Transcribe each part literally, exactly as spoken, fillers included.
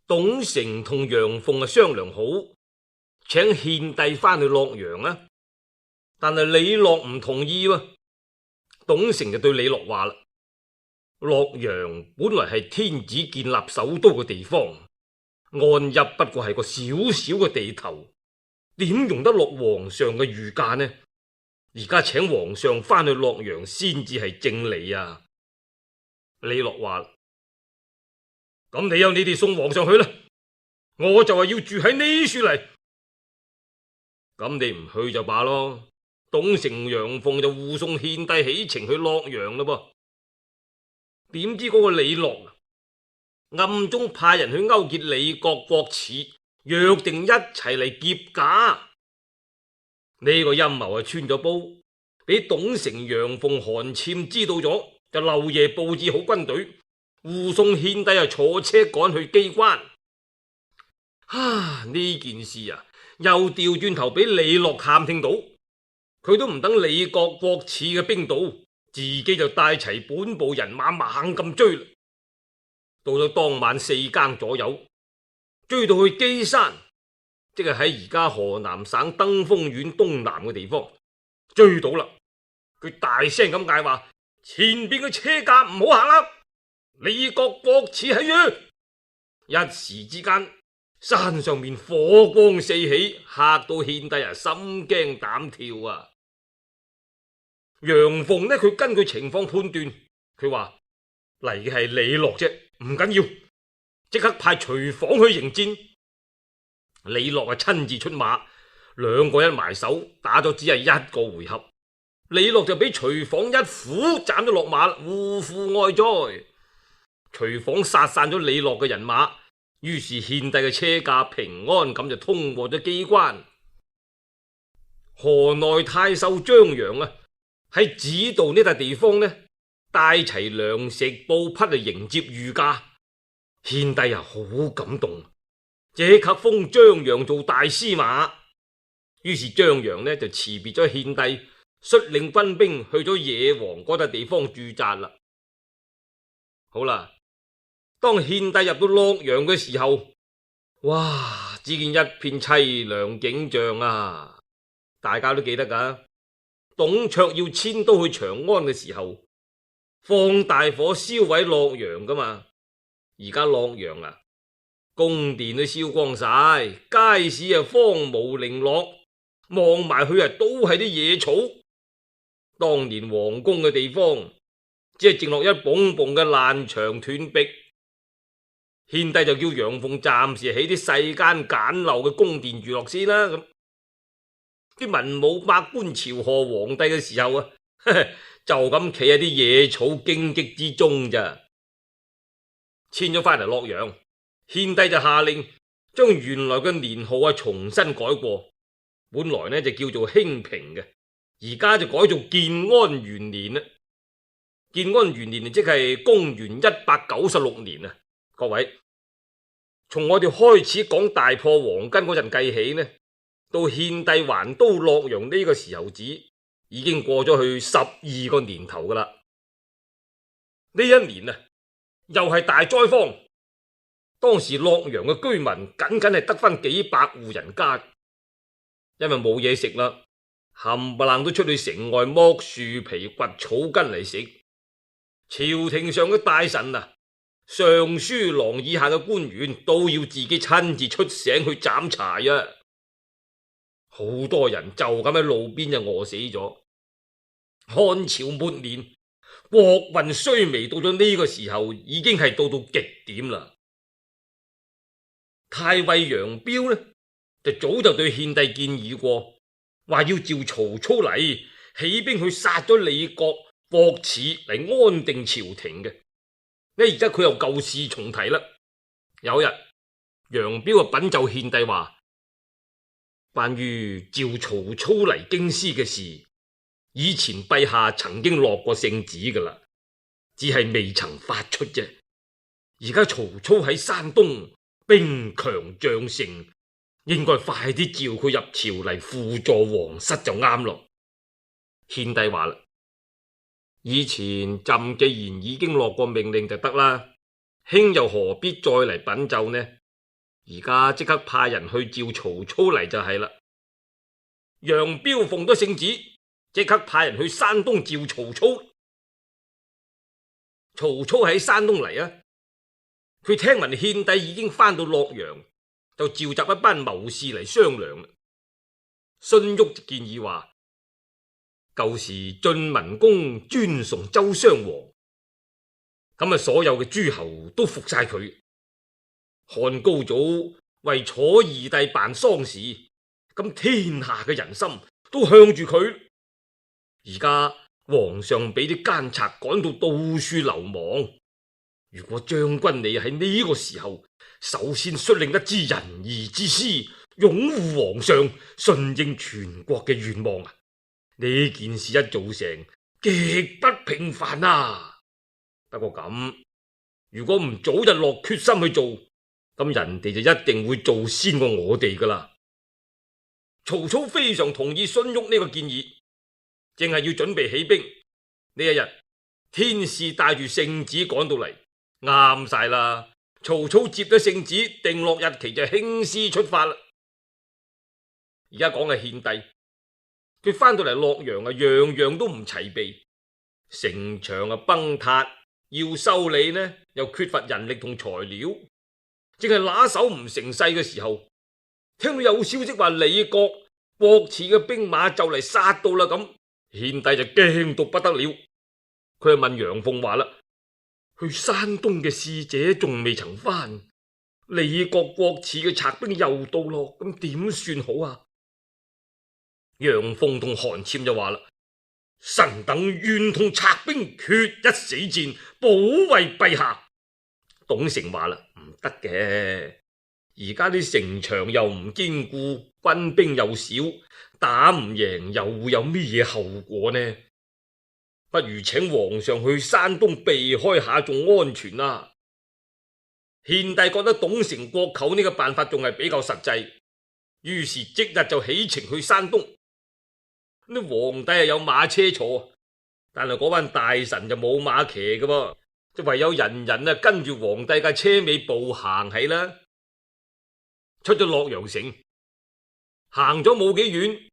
董承同楊鳳啊商量好，請獻帝翻去洛陽啊，但係李樂唔同意喎。董承就對李樂話啦：洛陽本來係天子建立首都嘅地方，安邑不過係個小小嘅地頭，點容得落皇上嘅御駕呢？而家請皇上翻去洛陽先至係正理啊！李樂話：咁你有你哋送皇上去啦，我就係要住喺呢處嚟。咁你唔去就罷咯。董承、楊鳳就護送獻帝起程去洛陽啦噃。點知嗰個李樂暗中派人去勾結李國、郭汜，約定一齊嚟劫駕。呢個陰謀係穿咗煲，俾董承、楊鳳、韓纂知道咗，就漏夜布置好軍隊，護送獻帝啊坐車趕去機關。啊！呢件事啊，又調轉頭俾李樂探聽到，佢都唔等李國、郭汜嘅兵到，自己就帶齊本部人馬猛咁追。到咗當晚四更左右，追到去基山，即係喺而家河南省登封縣東南嘅地方，追到啦。佢大聲咁嗌話：前邊嘅車架唔好行啦！李國、郭汜喺度。一時之間，山上面火光四起，嚇到獻帝啊心驚膽跳啊！楊鳳呢，佢根據情況判斷，佢話嚟嘅係李樂啫，唔緊要，即刻派徐晃去迎戰。李樂啊親自出馬，兩個一埋手，打咗只係一個回合，李樂就俾徐晃一斧斬咗落馬，嗚呼哀哉。徐晃殺散咗李樂嘅人馬，於是獻帝嘅車駕平安咁就通過咗機關。河內太守張揚啊喺指導呢笪地方呢，帶齊糧食布匹嚟迎接御駕。獻帝啊好感動，即刻封張揚做大司馬。於是張揚呢就辭別咗獻帝，率領軍兵去咗野王嗰笪地方駐紮啦。好啦，當獻帝入到洛陽嘅時候，哇！只見一片淒涼景象啊！大家都記得噶，董卓要遷都去長安嘅時候，放大火燒毀洛陽噶嘛。而家洛陽啊，宮殿都燒光晒，街市啊荒蕪零落，望埋去啊都係啲野草。當年皇宮嘅地方，只係剩落一埲埲嘅爛牆斷壁。獻帝就叫楊鳳暫時起啲世間簡陋嘅宮殿住落先啦。咁啲文武百官朝賀皇帝嘅時候啊，就咁企喺啲野草荊棘之中咋。遷咗翻嚟洛陽，獻帝就下令將原來嘅年號啊重新改過，本來呢就叫做興平嘅，而家就改做建安元年啦。建安元年即係公元一百九十六年啊！各位，從我哋開始講大破黃巾嗰陣計起呢，到獻帝還都洛陽呢個時候止，已經過咗去十二個年頭噶啦。呢一年啊，又係大災荒。當時洛陽嘅居民僅僅係得翻幾百戶人家，因為冇嘢食啦，冚唪唥都出去城外剝樹皮、掘草根嚟食。朝廷上嘅大臣啊，尚書郎以下嘅官員都要自己親自出省去斬柴啊！好多人就咁喺路邊就餓死咗。漢朝末年，國運衰微到咗呢個時候，已經係到到極點啦。太尉楊彪呢，就早就對獻帝建議過，話要召曹操嚟起兵去殺咗李國、郭汜嚟安定朝廷嘅。呢而家佢又舊事重提啦。有日楊彪啊稟奏獻帝話，關於召曹操嚟京師嘅事，以前陛下曾經落過聖旨噶啦，只係未曾發出啫。而家曹操喺山東，兵強將盛，應該快啲召佢入朝嚟輔助皇室就啱咯。獻帝話啦，以前朕既然已經落過命令就得啦，卿又何必再嚟稟奏呢？而家即刻派人去召曹操嚟就係啦。楊彪奉咗聖旨，即刻派人去山東召曹操。曹操喺山東嚟啊，佢聽聞獻帝已經翻到洛陽，就召集一班謀士嚟商量啦。荀彧建議話：舊時晉文公尊崇周襄王，咁啊所有嘅諸侯都服晒佢。漢高祖為楚二帝辦喪事，咁天下嘅人心都向住佢。而家皇上俾啲奸賊趕到到處流亡，如果將軍你喺呢個時候首先率領一支仁義之師，擁護皇上，順應全國嘅願望啊！呢件事一做成，極不平凡啊！不過咁，如果唔早日落決心去做，咁人哋就一定會做先過我哋噶啦。曹操非常同意荀彧呢個建議，正係要準備起兵。呢一日，天使帶住聖旨趕到嚟，啱晒啦！曹操接咗聖旨，定落日期就興師出發啦。而家講嘅獻帝，佢翻到嚟洛陽啊，樣樣都唔齊備，城牆啊崩塌，要修理呢又缺乏人力同材料。正係拿手唔成勢嘅時候，聽到有消息話李國、郭汜嘅兵馬就嚟殺到啦，咁獻帝就驚到不得了。佢就問楊鳳話啦：去山東嘅使者仲未曾翻，李國、郭汜嘅賊兵又到咯，咁點算好啊？楊鳳同韓潛就話啦：臣等願同賊兵決一死戰，保衛陛下。董承話啦：唔得嘅，而家啲城牆又唔堅固，軍兵又少，打唔贏又會有咩嘢後果呢？不如請皇上去山東避開下仲安全啊！獻帝覺得董承、郭構呢個辦法仲係比較實際，於是即日就起程去山東。呢皇帝係有馬車坐，但係嗰班大臣就冇馬騎嘅噃。就唯有人人啊跟住皇帝架車尾步行起啦。出咗洛陽城，行咗冇幾遠，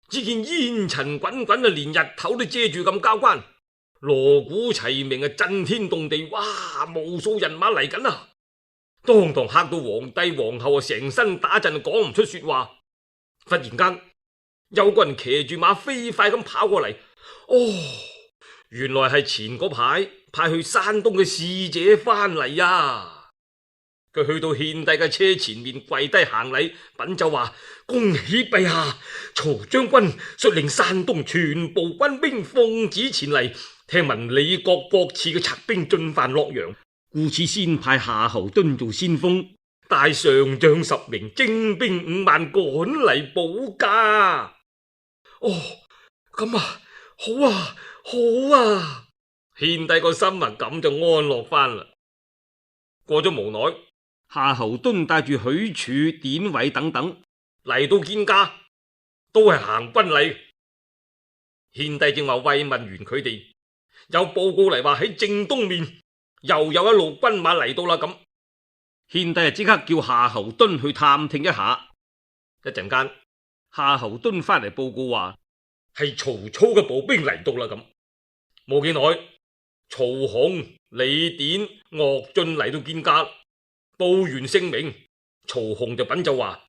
只見煙塵滾滾啊，連日頭都遮住咁交關，鑼鼓齊鳴啊，震天動地，哇！無數人馬嚟緊啊，當堂嚇到皇帝皇后啊，成身打震，講唔出說話。忽然間，有個人騎住馬飛快咁跑過嚟，哦，原來係前嗰排派去山東嘅使者翻嚟啊！佢去到獻帝嘅車前面跪低行禮，稟奏話：恭喜陛下，曹將軍率領山東全部軍兵奉旨前嚟，聽聞李國、郭汜嘅賊兵進犯洛陽，故此先派夏侯惇做先鋒，帶上將十名，精兵五萬趕嚟保駕。哦，咁啊，好啊，好啊！獻帝個心啊，咁就安樂翻啦。過咗無耐，夏侯惇帶住許褚、典韋等等嚟到見駕，都係行軍禮。獻帝正話慰問完佢哋，有報告嚟話喺正東面又有一路軍馬嚟到啦。咁獻帝啊，即刻叫夏侯惇去探聽一下。一陣間，夏侯惇翻嚟報告話係曹操嘅步兵嚟到啦。咁冇幾耐，曹洪、李典、岳進嚟到見駕，報完姓名，曹洪就稟奏話：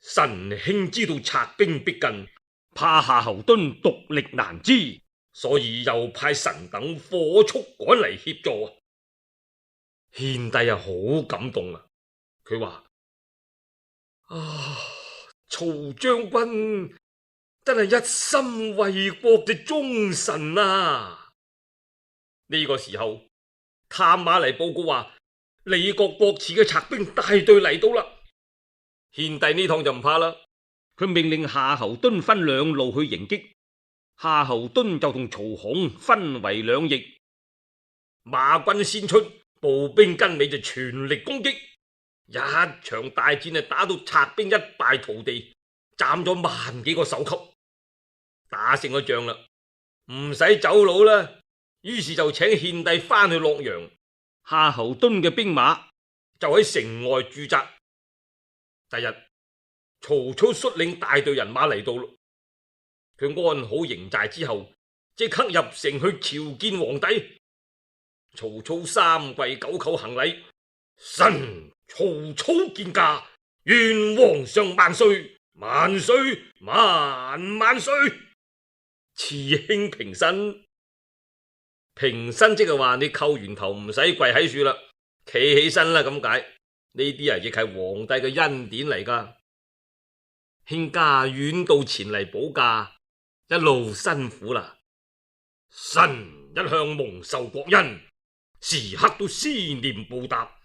臣兄知道賊兵逼近，怕夏侯惇獨力難支，所以又派臣等火速趕嚟協助。獻帝啊，好感動啊！佢話：啊，曹將軍真係一心為國嘅忠臣啊！呢個時候，探馬嚟報告話李國、郭汜嘅賊兵大隊嚟到啦。獻帝呢趟就唔怕啦，佢命令夏侯惇分兩路去迎擊。夏侯惇就同曹洪分為兩翼，馬軍先出，步兵跟尾就全力攻擊。一場大戰啊，打到賊兵一敗塗地，斬咗萬幾個首級，打勝咗仗啦，唔使走佬啦。於是就請獻帝翻去洛陽，夏侯惇嘅兵馬就喺城外駐紮，第日曹操率領大隊人馬嚟到咯，佢安好營寨之後，即刻入城去朝見皇帝。曹操三跪九叩行禮，臣曹操見駕，願皇上萬歲萬歲萬萬歲。慈兄平身，平身即係話你叩完頭唔使跪喺樹啦，企起身啦咁解。呢啲啊亦係皇帝嘅恩典嚟噶。卿家遠道前嚟保駕，一路辛苦啦。臣一向蒙受國恩，時刻都思念報答。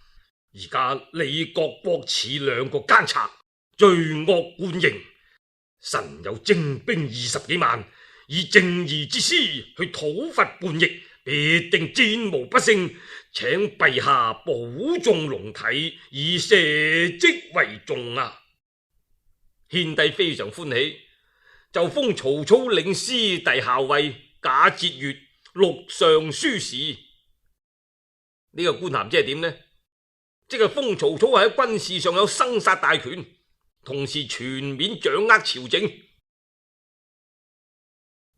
而家李國郭汜兩個奸賊，罪惡貫盈，臣有精兵二十幾萬，以正義之師去討伐叛逆，必定戰無不勝。請陛下保重龍體，以社稷為重啊！獻帝非常歡喜，就封曹操領師弟校尉，假節鉞，錄尚書事。呢個官銜即係點呢？即係封曹操喺軍事上有生殺大權，同時全面掌握朝政。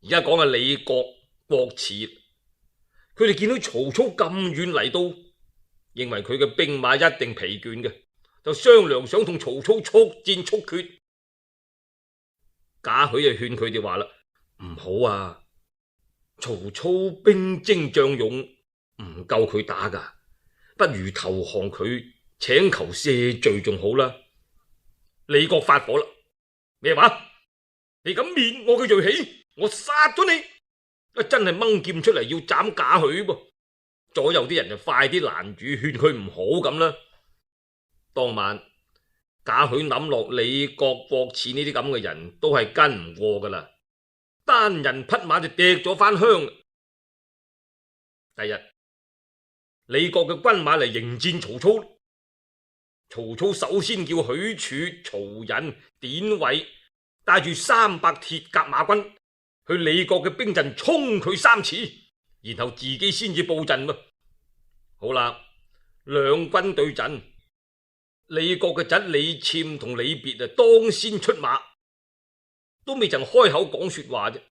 而家講嘅李國、郭汜，佢哋見到曹操咁遠嚟到，認為佢嘅兵馬一定疲倦嘅，就商量想同曹操速戰速決。賈詡就勸佢哋話啦：唔好啊，曹操兵精將勇，唔夠佢打噶，不如投降佢，請求赦罪仲好啦。李國發火啦：咩話？你敢滅我嘅銳氣，我殺咗你！啊，真係掹劍出嚟要斬賈詡噃。左右啲人就快啲攔住，勸佢唔好咁啦。當晚賈詡諗落李國、郭汜呢啲咁嘅人都係跟唔過噶啦，單人匹馬就趯咗翻鄉。第日李國嘅軍馬嚟迎戰曹操，曹操首先叫許褚、曹仁、典韋帶住三百鐵甲馬軍去李國嘅兵陣衝佢三次，然後自己先至布陣。好啦，兩軍對陣，李國嘅侄李僭同李別啊當先出馬，都未曾開口講說話啫，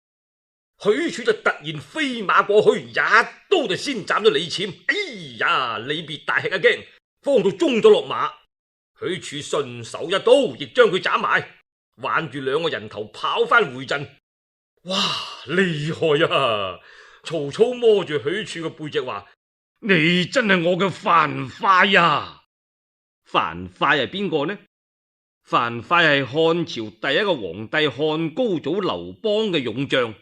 許褚就突然飛馬過去，一刀就先斬咗李僭。哎呀，李別大吃一驚，慌到中咗落馬。許褚順手一刀，亦將佢斬埋，挽住兩個人頭跑翻回陣。哇，厲害啊！曹操摸住許褚嘅背脊話：你真係我嘅樊噲啊！樊噲係邊個呢？樊噲係漢朝第一個皇帝漢高祖劉邦嘅勇將。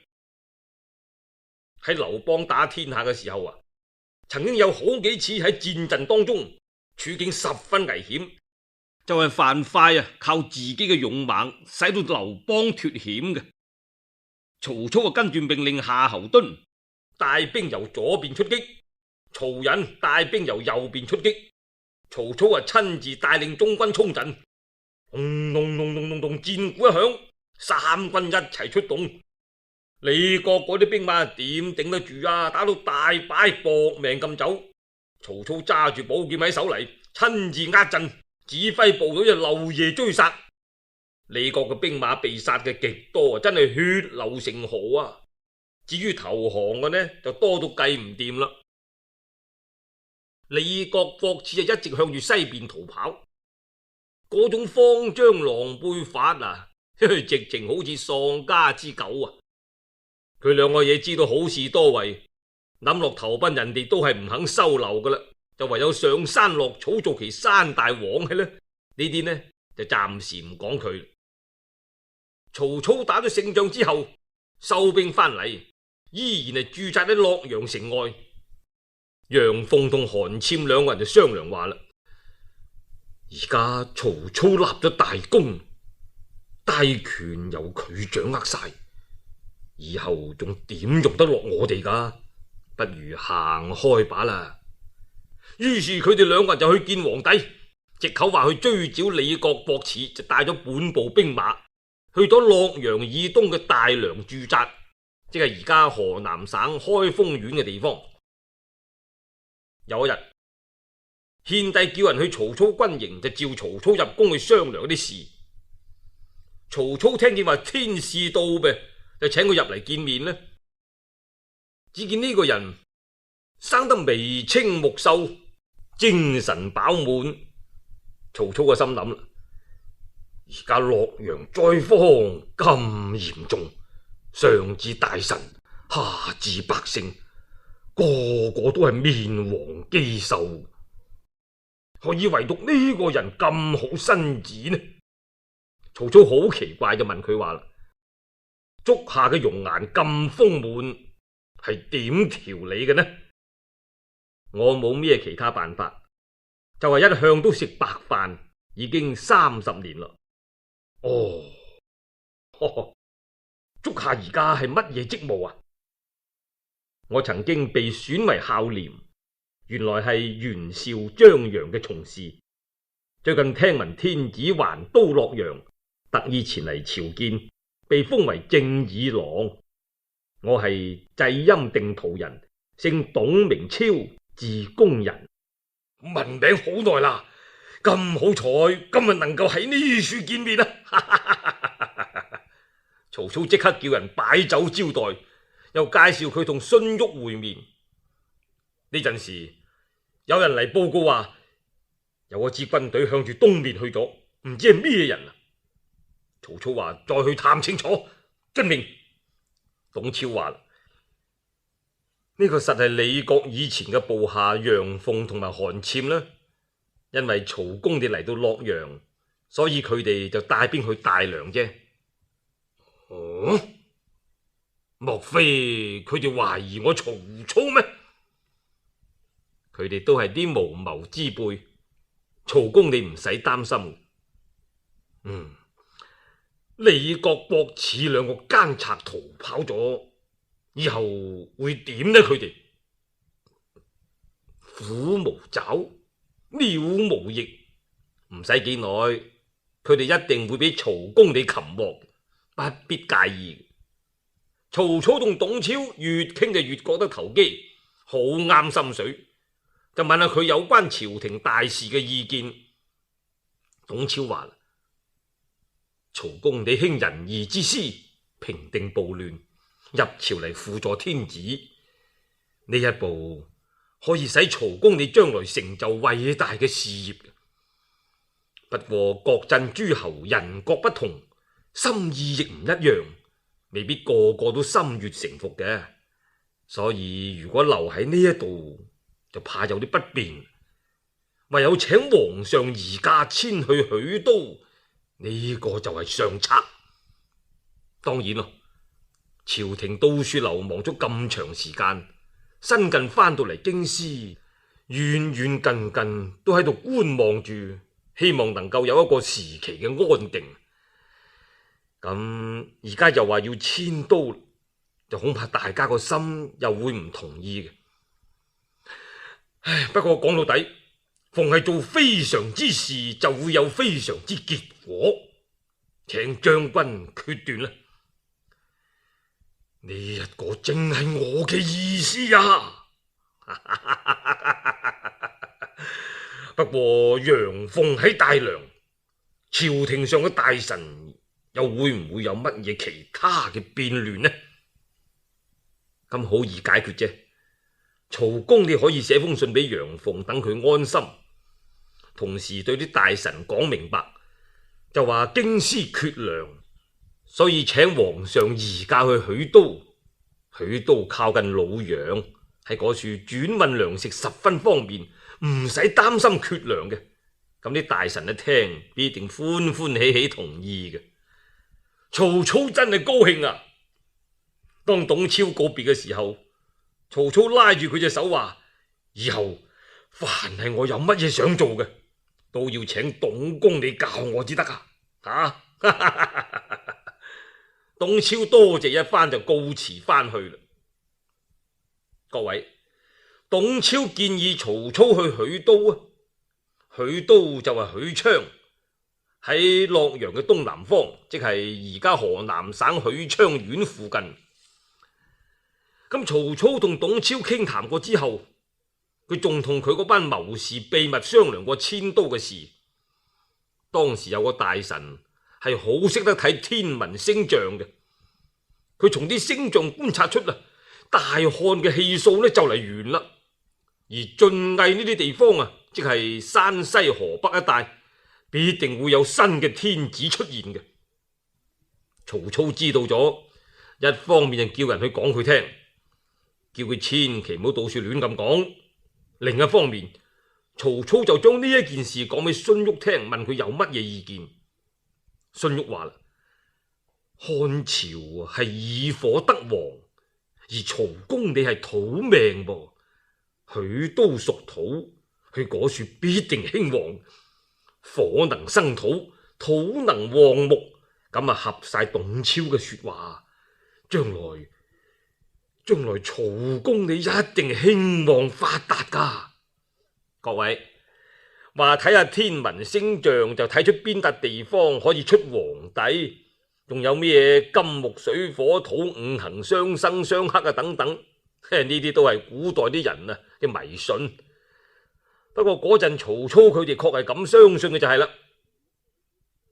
喺劉邦打天下嘅時候啊，曾經有好幾次喺戰陣當中處境十分危險，就係樊噲啊靠自己嘅勇猛使到劉邦脫險嘅。曹操啊跟住命令夏侯惇帶兵由左邊出擊，曹仁帶兵由右邊出擊。曹操啊親自帶領中軍衝陣，咚咚咚咚咚咚，戰鼓一響，三軍一齊出動。李國嗰啲兵馬點頂得住啊？打到大敗，搏命咁走。曹操揸住寶劍喺手嚟，親自壓陣，指揮部隊就漏夜追殺。李國嘅兵馬被殺嘅極多，真係血流成河啊！至於投降嘅呢，就多到計唔掂啦。李國郭汜就一直向住西邊逃跑，嗰種慌張狼狽法啊，直情好似喪家之狗啊！佢兩個嘢知道好事多為，諗落投奔人哋都係唔肯收留噶啦，就唯有上山落草做其山大王嘅呢。呢啲呢就暫時唔講佢。曹操打咗勝仗之後，收兵翻嚟，依然係駐紮喺洛陽城外。楊鳳同韓簽兩個人就商量話啦：而家曹操立咗大功，大權由佢掌握晒，以後仲點用得落我哋噶？不如行開把啦。於是佢哋兩個人就去見皇帝，藉口話去追剿李國郭汜，就帶咗本部兵馬去咗洛陽以東嘅大梁駐紮，即係而家河南省開封縣嘅地方。有一日，獻帝叫人去曹操軍營，就召曹操入宮去商量啲事。曹操聽見話天使到唄，就請佢入嚟見面呢。只見呢個人生得眉清目秀，精神飽滿。曹操個心諗啦，而家洛陽災荒咁嚴重，上至大臣，下至百姓，個個都係面黃肌瘦，何以唯獨呢個人咁好身子呢？曹操好奇怪就問佢話啦：足下嘅容顏咁豐滿，係點調理嘅呢？我冇咩其他辦法，就係一向都食白飯，已經三十年啦。哦，呵呵，足下而家係乜嘢職務啊？我曾經被選為孝廉，原來係袁紹、張楊嘅從事。最近聽聞天子還都洛陽，特意前嚟朝見，被封為正議郎。我係濟陰定陶人，姓董，名超，字公人，聞名好耐啦。咁好彩，今日能夠喺呢處見面啊！曹操即刻叫人擺酒招待，又介紹佢同荀彧會面。呢陣時，有人嚟報告話，有一支軍隊向住東面去咗，唔知係咩人啊！曹操話再去探清楚，遵命。董超話呢、這個實係李國以前嘅部下楊鳳同埋韓纂啦。因為曹公哋嚟到洛陽，所以佢哋就帶兵去大梁啫。哦，莫非佢哋懷疑我曹操咩？佢哋都係啲無謀之輩，曹公你唔使擔心。嗯，李國博似兩個奸賊逃跑咗，以後會點呢？佢哋虎無爪，鳥無翼，唔使幾耐，佢哋一定會俾曹公你擒獲，不必介意。曹操同董超越傾就越覺得投機，好啱心水，就問下佢有關朝廷大事嘅意見。董超話：曹公你興仁義之師，平定暴亂，入朝嚟輔助天子，呢一步可以使曹公你將來成就偉大嘅事業。不過各鎮諸侯人各不同，心意亦唔一樣，未必個個都心悅誠服嘅。所以如果留喺呢一度，就怕有啲不便，唯有請皇上移駕遷去許都，呢個就係上策。當然咯，朝廷到處流亡咗咁長時間，新近翻到嚟京師，遠遠近近都喺度觀望住，希望能夠有一個時期嘅安定。咁而家又話要遷都，就恐怕大家個心又會唔同意嘅。唉，不過講到底，逢係做非常之事，就會有非常之結果，請將軍決斷啦。呢一個正係我嘅意思啊！不過楊鳳喺大梁，朝廷上嘅大臣又會唔會有乜嘢其他嘅變亂呢？咁好易解決啫。曹公你可以寫封信俾楊鳳，等佢安心，同時對啲大臣講明白，就話京師缺糧，所以請皇上移駕去許都。許都靠近魯陽，喺嗰處轉運糧食十分方便，唔使擔心缺糧嘅。咁啲大臣一聽，必定歡歡喜喜同意嘅。曹操真係高興啊！當董超告別嘅時候，曹操拉住佢隻手話：以後凡係我有乜嘢想做嘅，都要請董公你教我至得啊！啊！董超多謝一番就告辭翻去啦。各位，董超建議曹操去許都啊，許都就係許昌，喺洛陽嘅東南方，即係而家河南省許昌縣附近。咁曹操同董超傾談過之後，佢仲同佢嗰班謀士秘密商量過遷都嘅事。當時有個大臣係好識得睇天文星象嘅，佢從啲星象觀察出啦，大旱嘅氣數呢就嚟完啦，而晉魏呢啲地方啊，即係山西河北一帶，必定會有新嘅天子出現嘅。曹操知道咗，一方面就叫人去講佢聽，叫佢千祈唔好到處亂咁講。另一方面，曹操就將呢一件事講俾荀彧聽，問佢有乜嘢意見。荀彧話啦：漢朝係以火得王，而曹公你係土命噃，許都屬土，去嗰處必定興旺。火能生土，土能旺木，咁啊合晒董超嘅說話，將來將來曹公你一定興旺發達噶。各位話睇下天文星象就睇出邊笪地方可以出皇帝，仲有咩金木水火土五行相生相克啊等等，呢啲都係古代啲人啊嘅迷信。不過嗰陣曹操佢哋確係咁相信嘅就係啦。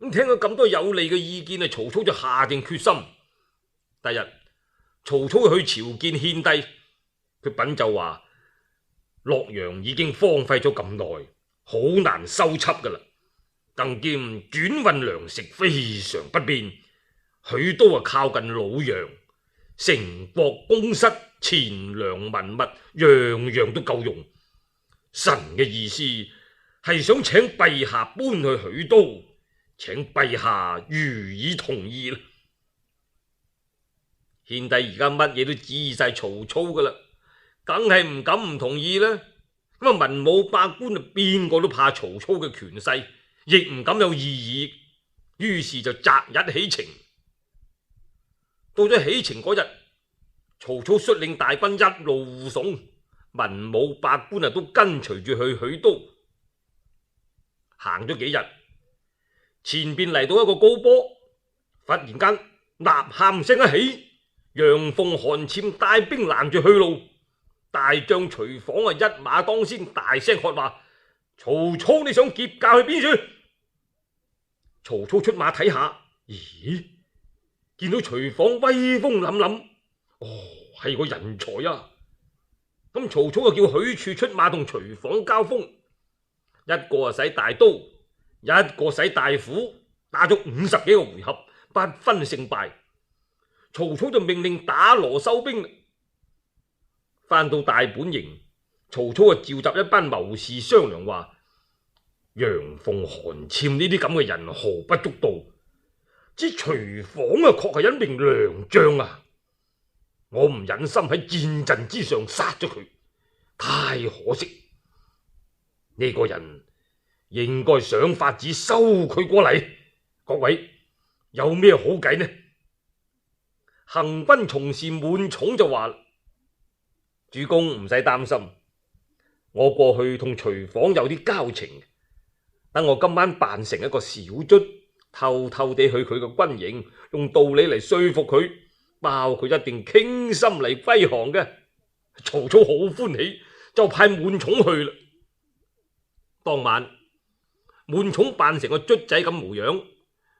咁聽咗咁多有利嘅意見啊，曹操就下定決心。第日曹操去朝見獻帝，佢稟奏話洛陽已經荒廢咗咁耐，好難修葺噶啦，更兼轉運糧食非常不便。許都啊靠近魯陽，城郭宮室錢糧文物樣樣都夠用。臣嘅意思係想請陛下搬去許都，請陛下予以同意啦。獻帝而家乜嘢都指意晒曹操噶啦，梗係唔敢唔同意啦。咁啊文武百官啊邊個都怕曹操嘅權勢，亦唔敢有異議，於是就擇日起程。到咗起程嗰日，曹操率領大軍一路護送，文武百官啊都跟隨住去許都。行咗幾日，前邊嚟到一個高坡，忽然間吶喊聲一起，楊鳳、韓纂帶兵攔住去路。大將徐晃啊一馬當先，大聲喝話：曹操你想劫駕去邊處？曹操出馬睇下，咦，見到徐晃威風凜凜，哦，係個人才啊！咁曹操就叫許褚出馬同徐晃交鋒，一個啊使大刀，一個使大斧，打咗五十幾個回合，不分勝敗。曹操就命令打鑼收兵。翻到大本營，曹操啊召集一班謀士商量話：楊鳳、韓纂呢啲咁嘅人毫不足道，之徐晃啊確係一名良將啊！我唔忍心喺戰陣之上殺咗佢，太可惜。呢個人應該想法子收佢過嚟。各位有咩好計呢？行軍從事滿寵就話：主公唔使擔心，我過去同徐晃有啲交情，等我今晚扮成一個小卒，偷偷地去佢個軍營，用道理嚟說服佢，包佢一定傾心嚟歸降嘅。曹操好歡喜，就派滿寵去啦。當晚滿寵扮成個卒仔咁模樣，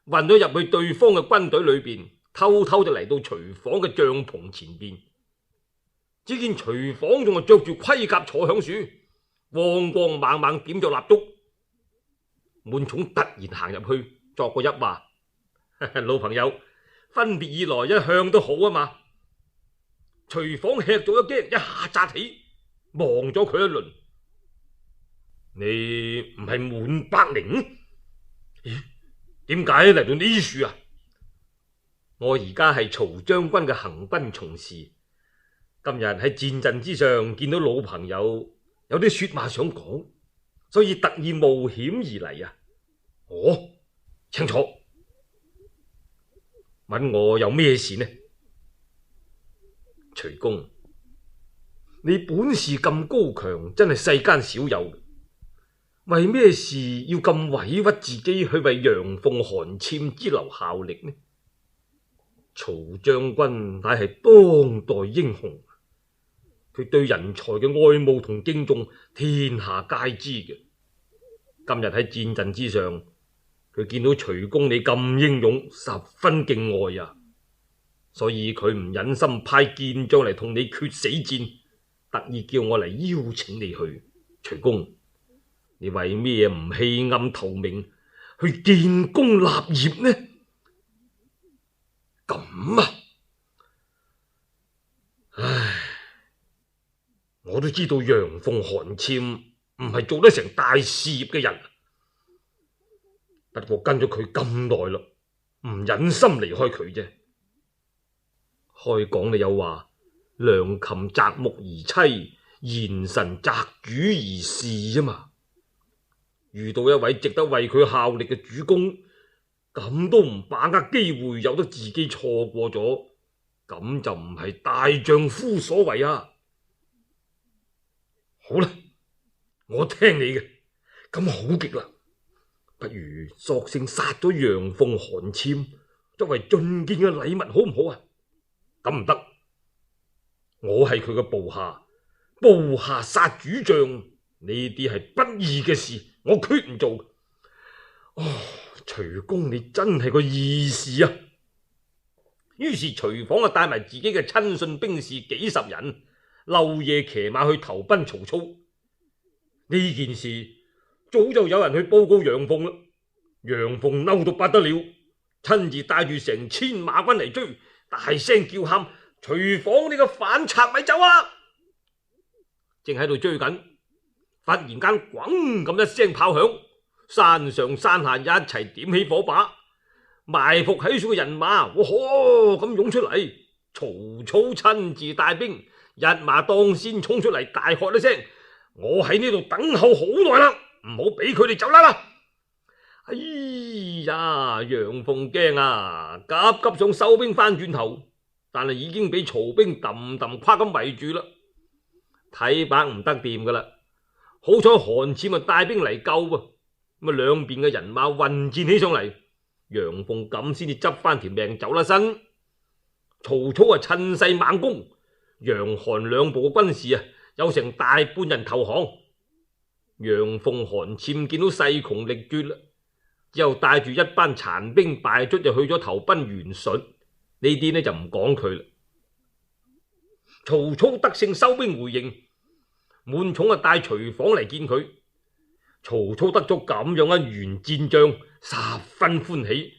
混咗入去對方嘅軍隊裏邊，偷偷就嚟到徐晃嘅帳篷前邊。只見徐晃仲係着住盔甲坐響樹，光光猛猛點着蠟燭。滿寵突然行入去，作個揖話：老朋友，分別以來一向都好啊嘛。徐晃吃咗一驚，一下扎起，望咗佢一輪：你唔係滿伯陵？咦，點解嚟到呢處啊？我而家係曹將軍嘅行軍從事。今日喺戰陣之上見到老朋友，有啲說話想講，所以特意冒險而嚟啊！哦，請坐。問我有咩事呢？徐公，你本事咁高強，真係世間少有。為咩事要咁委屈自己去為楊鳳、韓纂之流效力呢？曹將軍乃係當代英雄。佢對人才嘅愛慕同敬重，天下皆知嘅。今日喺戰陣之上，佢見到徐公你咁英勇，十分敬愛啊，所以佢唔忍心派健將嚟同你決死戰，特意叫我嚟邀請你去。徐公，你為咩唔棄暗投明，去建功立業呢？咁啊，唉，我都知道楊鳳、韓簽唔係做得成大事業嘅人，不過跟咗佢咁耐啦，唔忍心離開佢啫。開講你又話良禽擇木而棲，賢臣擇主而事啊嘛。遇到一位值得為佢效力嘅主公，咁都唔把握機會，由得自己錯過咗，咁就唔係大丈夫所為啊！好啦，我聽你嘅，咁好極啦，不如索性殺咗楊鳳、韓簽，作為進見嘅禮物，好唔好啊？咁唔得，我係佢嘅部下，部下殺主將，呢啲係不義嘅事，我決唔做。哦，徐公你真係個義士啊！於是徐晃啊帶埋自己嘅親信兵士幾十人，漏夜騎馬去投奔曹操。呢件事早就有人去報告楊鳳啦，楊鳳嬲到不得了，親自帶住成千馬軍嚟追，大聲叫喊：徐晃你個反賊咪走啊！正喺度追緊，忽然間咣咁一聲炮響，山上山下一齊點起火把，埋伏喺處嘅人馬，哇呵咁湧出嚟。曹操親自帶兵，一馬當先衝出嚟，大喝一聲：我喺呢度等候好耐啦，唔好俾佢哋走啦啦！哎呀，楊鳳驚啊，急急想收兵翻轉頭，但係已經俾曹兵揼揼跨咁圍住啦，睇把唔得掂噶啦。好彩韓簽啊帶兵嚟救噃，咁啊兩邊嘅人馬混戰起上嚟，楊鳳咁先至執翻條命走啦身。曹操啊趁勢猛攻，楊韓兩部嘅軍士啊有成大半人投降。楊鳳、韓簽見到勢窮力絕啦，之後帶住一班殘兵敗卒就去咗投奔袁術。呢啲呢就唔講佢啦。曹操得勝收兵回營，滿寵啊帶徐晃嚟見佢。曹操得咗咁樣一員戰將，十分歡喜，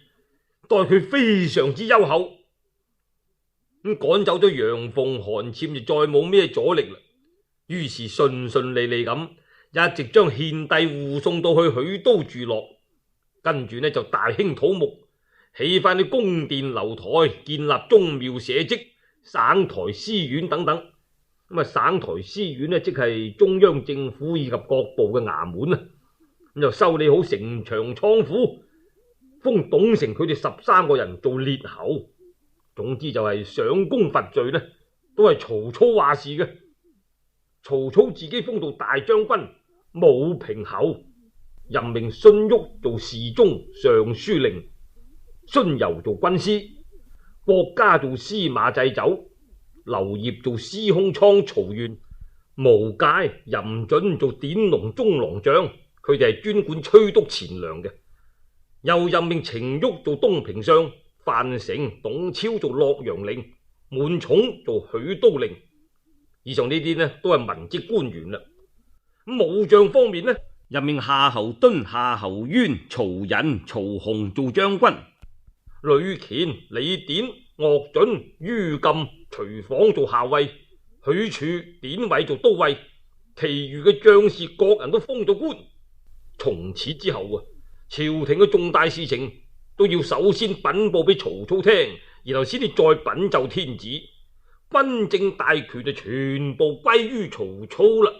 待佢非常之優厚。咁趕走咗楊鳳、韓簽就再冇咩阻力啦。於是順順利利咁，一直將獻帝護送到去許都住落，跟住呢就大興土木，起翻啲宮殿樓台，建立宗廟社稷、省台司院等等。咁啊，省台司院呢，即係中央政府以及各部嘅衙門啊。咁就修理好城牆倉庫，封董承佢哋十三個人做列侯。總之就係賞功罰罪呢，都係曹操話事嘅。曹操自己封做大將軍、武平侯，任命荀彧做侍中、尚書令，荀攸做軍師，郭嘉做司馬祭酒，劉燁做司空倉曹縣，無介、任準做典農中郎將，佢哋係專管催督錢糧嘅。又任命程昱做東平相，范成、董超做洛陽令，滿寵做許都令。以上呢啲呢都係文職官員啦。咁武將方面呢，任命夏侯惇、夏侯淵、曹寅、曹洪做將軍，呂虔、李典、岳准、于禁、徐晃做校尉，許褚、典韋做都尉。其餘嘅將士各人都封咗官。從此之後啊，朝廷嘅重大事情都要首先稟報俾曹操聽，然後先至再稟奏天子，軍政大權就全部歸於曹操啦。